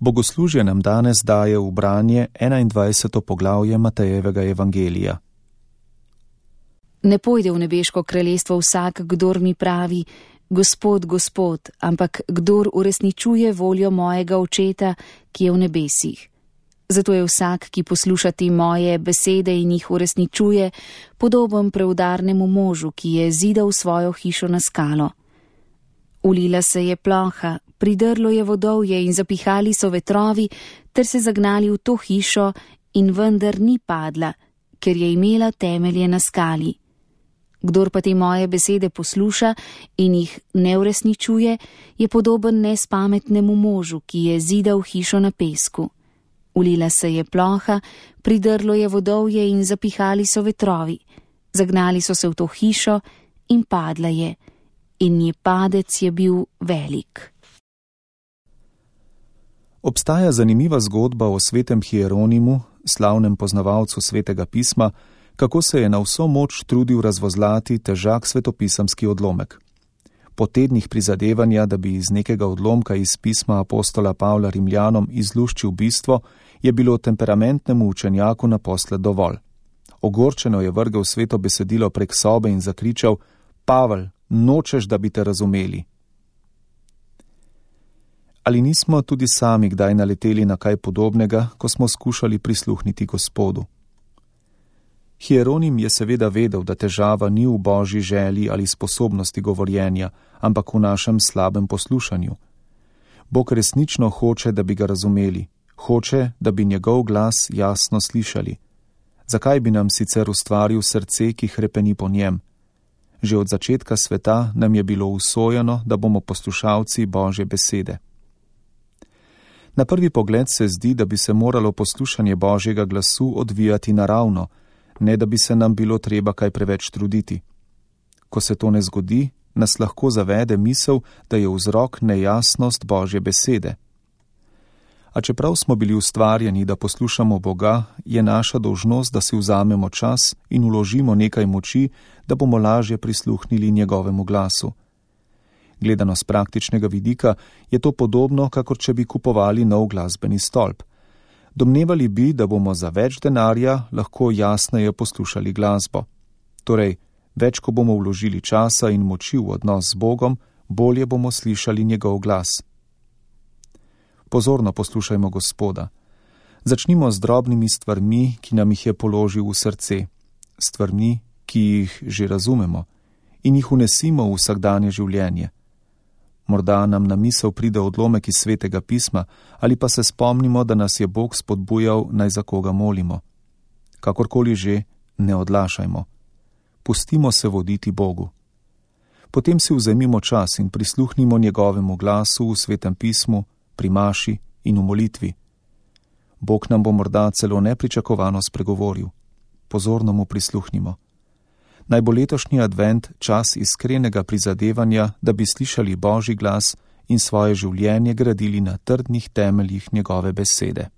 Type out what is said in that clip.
Bogoslužje nam danes daje v branje 21. poglavje Matejevega evangelija. Ne pojde v nebeško kraljestvo vsak, kdor mi pravi, Gospod, Gospod, ampak kdor uresničuje voljo mojega Očeta, ki je v nebesih. Zato je vsak, ki posluša te moje besede in jih uresničuje, podoben preudarnemu možu, ki je zidal svojo hišo na skalo. Ulila se je ploha, pridrlo je vodovje in zapihali so vetrovi, ter se zagnali v to hišo in vendar ni padla, ker je imela temelje na skali. Kdor pa te moje besede posluša in jih ne uresničuje, je podoben nespametnemu možu, ki je zidal hišo na pesku. Ulila se je ploha, pridrlo je vodovje in zapihali so vetrovi. Zagnali so se v to hišo in padla je. In nje padec je bil velik. Obstaja zanimiva zgodba o svetem Hieronimu, slavnem poznavalcu svetega pisma, kako se je na vso moč trudil razvozlati težak svetopisemski odlomek. Po tednih prizadevanja, da bi iz nekega odlomka iz pisma apostola Pavla Rimljanom izluščil bistvo, je bilo temperamentnemu učenjaku naposled dovolj. Ogorčeno je vrgel sveto besedilo prek sobe in zakričal: Pavel, nočeš, da bi te razumeli. Ali nismo tudi sami kdaj naleteli na kaj podobnega, ko smo skušali prisluhniti Gospodu? Hieronim je seveda vedel, da težava ni v božji želji ali sposobnosti govorjenja, ampak v našem slabem poslušanju. Bog resnično hoče, da bi ga razumeli, hoče, da bi njegov glas jasno slišali. Zakaj bi nam sicer ustvaril srce, ki hrepeni po njem? Že od začetka sveta nam je bilo usojeno, da bomo poslušalci Božje besede. Na prvi pogled se zdi, da bi se moralo poslušanje Božjega glasu odvijati naravno, ne da bi se nam bilo treba kaj preveč truditi. Ko se to ne zgodi, nas lahko zavede misel, da je vzrok nejasnost Božje besede. A čeprav smo bili ustvarjeni, da poslušamo Boga, je naša dolžnost, da si vzamemo čas in vložimo nekaj moči, da bomo lažje prisluhnili njegovemu glasu. Gledano z praktičnega vidika je to podobno, kakor če bi kupovali nov glasbeni stolp. Domnevali bi, da bomo za več denarja lahko jasneje poslušali glasbo. Torej, več ko bomo vložili časa in moči v odnos z Bogom, bolje bomo slišali njegov glas. Pozorno poslušajmo Gospoda. Začnimo z drobnimi stvarmi, ki nam jih je položil v srce, stvarmi, ki jih že razumemo, in jih unesimo v vsakdanje življenje. Morda nam na misel pride odlomek iz svetega pisma, ali pa se spomnimo, da nas je Bog spodbujal, naj za koga molimo. Kakorkoli že, ne odlašajmo. Pustimo se voditi Bogu. Potem si vzemimo čas in prisluhnimo njegovemu glasu v svetem pismu, pri maši in v molitvi. Bog nam bo morda celo nepričakovano spregovoril. Pozorno mu prisluhnimo. Naj bo letošnji advent čas iskrenega prizadevanja, da bi slišali Božji glas in svoje življenje gradili na trdnih temeljih njegove besede.